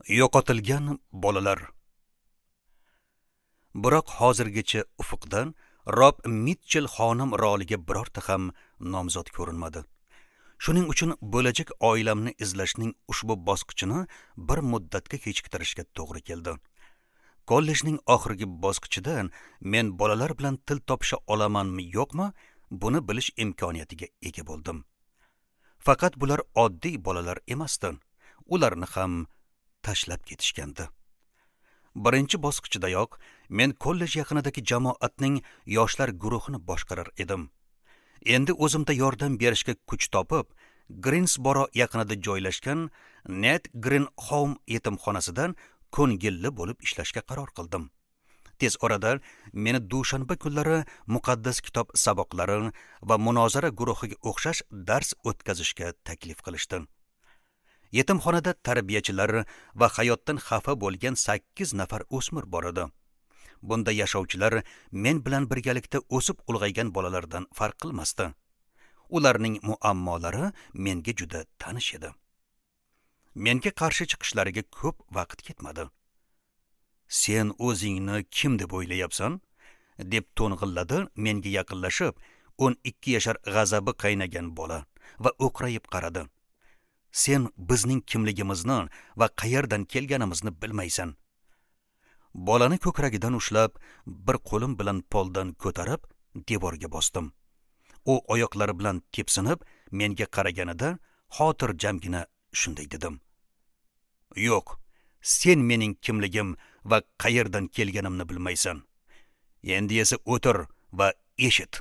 Yo'qotilgan bolalar. Biroq hozirgacha ufuqdan Rob Mitchell xonim roliga birorta ham nomzod ko'rinmadi. Shuning uchun bo'lajak oilamni izlashning ushbu bosqichini bir muddatga kechiktirishga to'g'ri keldi. Kollejning oxirgi bosqichida men bolalar bilan til topisha olamanmi yo'qmi, buni bilish imkoniyatiga ega bo'ldim. Faqat bular oddiy bolalar emasdi. Ularni ham tashlab ketishgandi. Birinchi bosqichidayoq men kollej yaqinidagi jamoatning yoshlar guruhini boshqarar edim. Endi o'zimda yordam berishga kuch topib, Grinsboro yaqinida joylashgan Ned Green Home yetimxonasidan ko'ngilli bo'lib ishlashga qaror qildim. Tez orada meni dushanba kunlari muqaddas kitob saboqlari va munozara guruhiga o'xshash dars o'tkazishga taklif qilishdi. Yetimxonada tarbiyachilar va hayotdan xafa bo'lgan 8 nafar o'smir bor edi. Bunda yashovchilar men bilan birgalikda o'sib ulg'aygan bolalardan farq qilmasdi. Ularning muammolari menga juda tanish edi. Menga qarshi chiqishlariga ko'p vaqt ketmadi. "Sen o'zingni kim deb o'ylayapsan?" deb to'ng'illadi menga yaqinlashib 12 yashar g'azabi qaynagan bola va o'qrayib qaradi. "Sen bizning kimligimizni va qayerdan kelganimizni bilmaysan." Bolani ko'kragidan ushlab, bir qo'lim bilan poldan ko'tarib, devorga bosdim. U oyoqlari bilan tepsinib, menga qaraganida xotirjamgina shunday dedim: "Yo'q, sen mening kimligim va qayerdan kelganimni bilmaysan. Endi esa o'tir va eshit."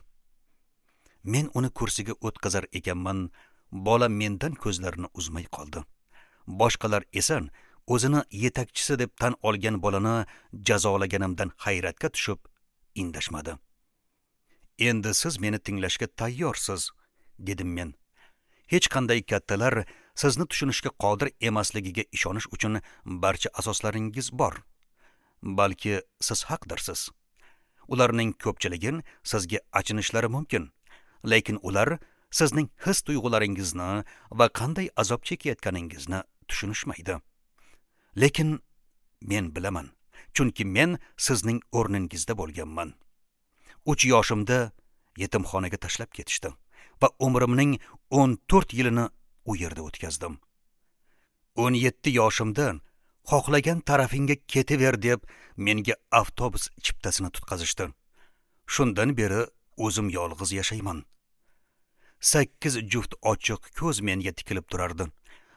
Men uni kursiga o'tkazar ekanman, bola mendan ko'zlarini uzmay qoldi. Boshqalar esa o'zini yetakchisi deb tan olgan bolani jazolaganimdan hayratga tushib indashmadi. "Endi siz meni tinglashga tayyorsiz," dedim men. Hech qanday kattalar sizni tushunishga qodir emasligiga ishonish uchun barcha asoslaringiz bor. Balki siz haqdirsiz. Ularning ko'pchiligi sizga achinishlari mumkin, lekin ular sizning his tuyg'ularingizni va qanday azob chekayotganingizni tushunishmaydi. Lekin men bilaman, chunki men sizning o'rningizda bo'lganman. 3 yoshimda yetimxonaga tashlab ketishdi va umrimning 14 yilini u yerda o'tkazdim. 17 yoshimda xohlagan tarafingga ketaver deb menga avtobus chiptasini tutqazishdi. Shundan beri o'zim yolg'iz yashayman. 8 juft ochiq ko'z menga tikilib turardi,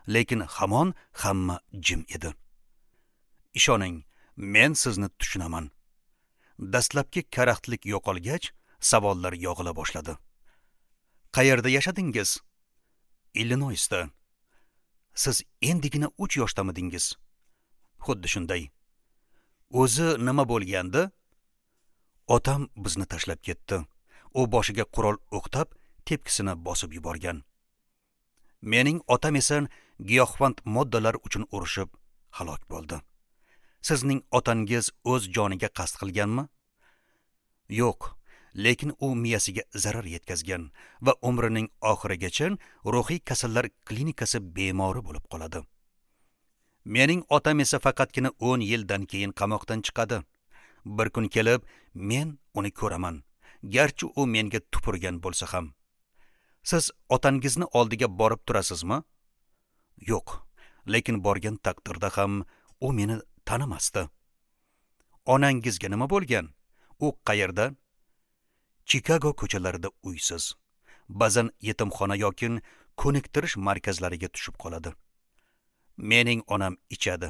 lekin hamon hamma jim edi. Ishoning, men sizni tushunaman. Dastlabki karaxtlik yo'qolgach, savollar yog'ila boshladi. "Qayerda yashadingiz?" "Illinoysda." "Siz endigina 3 yoshtamidingiz?" "Xuddi shunday." "O'zi nima bo'lgandi?" "Otam bizni tashlab ketdi. U boshiga qurol o'qtab, tepkisini bosib yuborgan. Mening otam esa giyohvand moddalar uchun urushib halok bo'ldi. Sizning otangiz o'z joniga qasd qilganmi?" "Yo'q, lekin u miyasiga zarar yetkazgan va umrining oxirigacha ruhiy kasallar klinikasi bemori bo'lib qoladi. Mening otam esa faqatgina 10 yildan keyin qamoqdan chiqadi. Bir kun kelib men uni ko'raman, garchi u menga tupurgan bo'lsa ham. Siz otangizni oldiga borib turasizmi?" "Yo'q, lekin borgan taqdirda ham u meni tanimasdi." "Onangizga nima bo'lgan? U qayerda?" "Chikago ko'chalarida uysiz. Ba'zan yetimxona yoki ko'niktirish markazlariga tushib qoladi. Mening onam ichadi.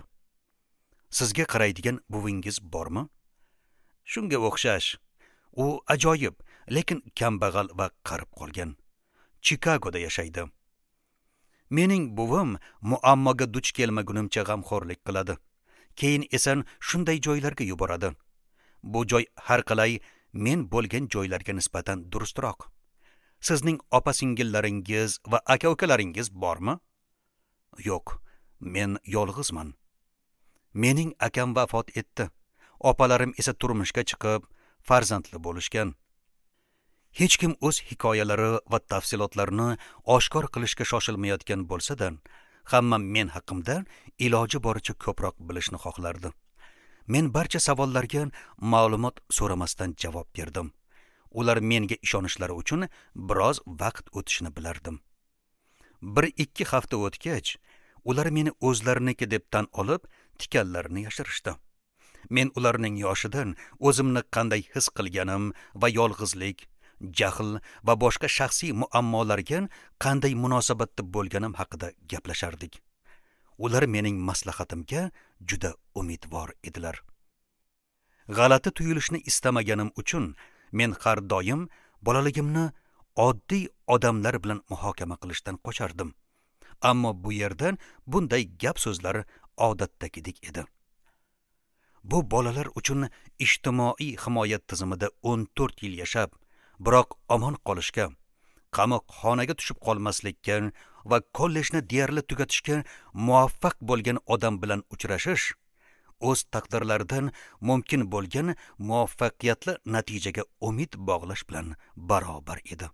Sizga qaraydigan buvingiz bormi?" "Shunga o'xshash. U ajoyib, lekin kambag'al va qarib qolgan. Chikagoda yashaydi. Mening buvim muammoga duch kelmagunimcha g'amxo'rlik qiladi. Keyin esa shunday joylarga yuboradi. Bu joy har qalay men bo'lgan joylarga nisbatan durustroq. Sizning opa-singillaringiz va aka-ukalaringiz bormi?" "Yo'q, men yolg'izman. Mening akam vafot etdi. Opalarim esa turmushga chiqib, farzandli bo'lishgan." Hech kim o'z hikoyalari va tafsilotlarini oshkor qilishga shoshilmayotgan bo'lsa-da, Hamma men haqimda iloji boricha ko'proq bilishni xohlardi. Men barcha savollarga ma'lumot so'ramasdan javob berdim. Ular menga ishonishlari uchun biroz vaqt o'tishini bilardim. 1-2 hafta o'tgach, ular meni o'zlariniki deb tan olib, tikanlarini yashirishdi. Men ularning yoshidan o'zimni qanday his qilganim va yolg'izlik, jahl va boshqa shaxsiy muammolarga qanday munosabatda bo'lganim haqida gaplashardik. Ular mening maslahatimga juda umidvor edilar. G'alati tuyulishni istamaganim uchun men har doim bolaligimni oddiy odamlar bilan muhokama qilishdan qochardim. Ammo bu yerdan bunday gap so'zlar odatdagidek edi. Bu bolalar uchun ijtimoiy himoya tizimida 14 yil yashab, biroq omon qolishga, qamoqxonaga tushib qolmaslikka va kollejni deyarli tugatishga muvaffaq bo'lgan odam bilan uchrashish o'z taqdirlaridan mumkin bo'lgan muvaffaqiyatli natijaga umid bog'lash bilan barobar edi.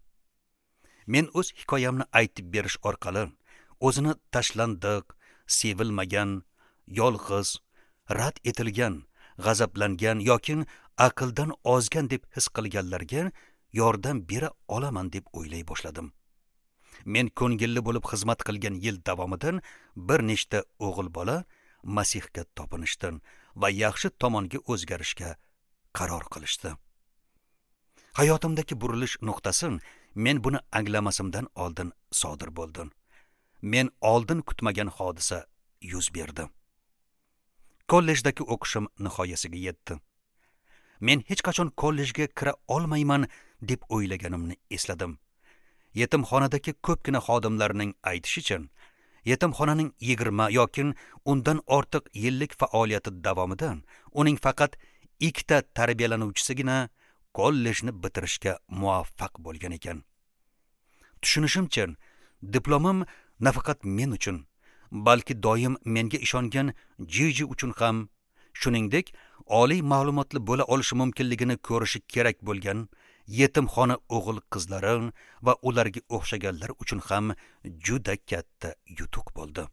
Men o'z hikoyamni aytib berish orqali o'zini tashlandiq, sevilmagan, yolg'iz, rad etilgan, g'azablangan yoki aqldan ozgan deb his qilganlarga yordam bera olaman deb o'ylay boshladim. Men ko'ngilli bo'lib xizmat qilgan yil davomida bir nechta o'g'il bola Masihga topinishdi va yaxshi tomonga o'zgarishga qaror qilishdi. Hayotimdagi burilish nuqtasi men buni anglamasimdan oldin sodir bo'ldi. Men oldin kutmagan hodisa yuz berdi. Kollejdagi o'qishim nihoyasiga yetdi. Men hech qachon kollejga kira olmayman deb o'ylaganimni esladim. Yetimxonadagi ko'pgina xodimlarning aytishicha, yetimxonaning 20 yoki undan ortiq yillik faoliyati davomida uning faqat 2 ta tarbiyalanuvchisigina kollejni bitirishga muvaffaq bo'lgan ekan. Tushunishimcha, diplomim nafaqat men uchun, balki doim menga ishongan Jiji uchun ham, shuningdek, oliy ma'lumotli bo'la olishi mumkinligini ko'rishi kerak bo'lgan yetimxona o'g'il qizlari va ularga o'xshaganlar uchun ham juda katta yutuq bo'ldi.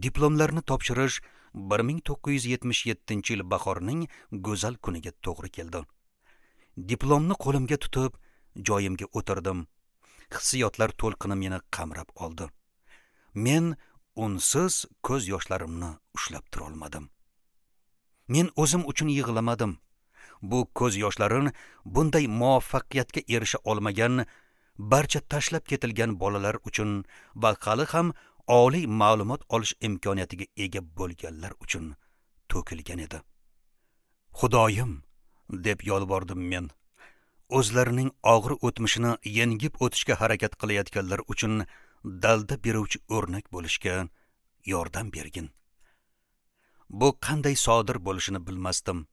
Diplomlarni topshirish 1977-yil bahorning go'zal kuniga to'g'ri keldi. Diplomni qo'limga tutib, joyimga o'tirdim. Hissiyotlar to'lqini meni qamrab oldi. Men unsiz ko'z yoshlarimni ushlab tura olmadim. Men o'zim uchun yig'lamadim. Bu ko'z yoshlarim bunday muvaffaqiyatga erisha olmagan barcha tashlab ketilgan bolalar uchun va hali ham oliy ma'lumot olish imkoniyatiga ega bo'lganlar uchun to'kilgan edi. Xudoyim, deb yolvordim men. O'zlarining og'ir o'tmishini yengib o'tishga harakat qilayotganlar uchun dalda beruvchi o'rnak bo'lishga yordam bergin. Bu qanday sodir bo'lishini bilmasdim.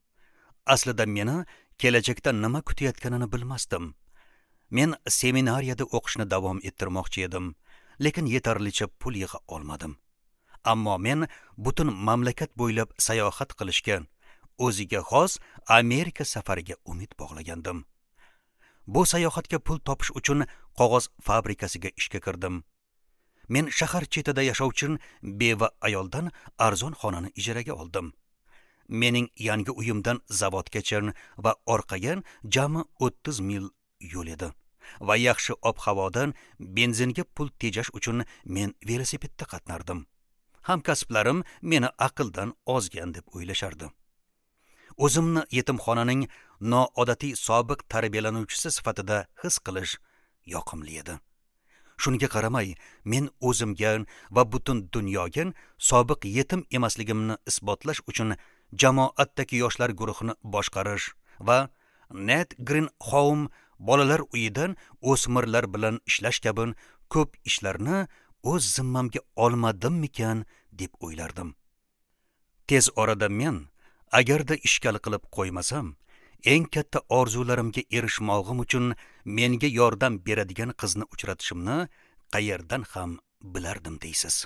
Aslida meni kelajakda nima kutayotganini bilmasdim. Men seminariyada o'qishni davom ettirmoqchi edim, lekin yetarlicha pul yig'a olmadim. Ammo men butun mamlakat bo'ylab sayohat qilishga, o'ziga xos Amerika safariga umid bog'lagandim. Bu sayohatga pul topish uchun qog'oz fabrikasiga ishga kirdim. Men shahar chetida yashovchi beva ayoldan arzon xonani ijaraga oldim. Mening yangi uyimdan zavodgacha va orqaga jami 30 mil yo'l edi. Va yaxshi ob-havodan benzinga pul tejash uchun men velosipedda qatnardim. Hamkasblarim meni aqldan ozgan deb o'ylashardi. O'zimni yetimxonaning noodatiy sobiq tarbiyalanuvchisi sifatida his qilish yoqimli edi. Shunga qaramay, men o'zimga va butun dunyoga sobiq yetim emasligimni isbotlash uchun jamoatdagi yoshlar guruhini boshqarish va Net Green Home bolalar uyidan o'smirlar bilan ishlash kabi ko'p ishlarni o'z zimmamga olmadimmikan deb o'ylardim. Tez orada men agarda ishkal qilib qo'ymasam, eng katta orzularimga erishmog'im uchun menga yordam beradigan qizni uchratishimni qayerdan ham bilardim deysiz.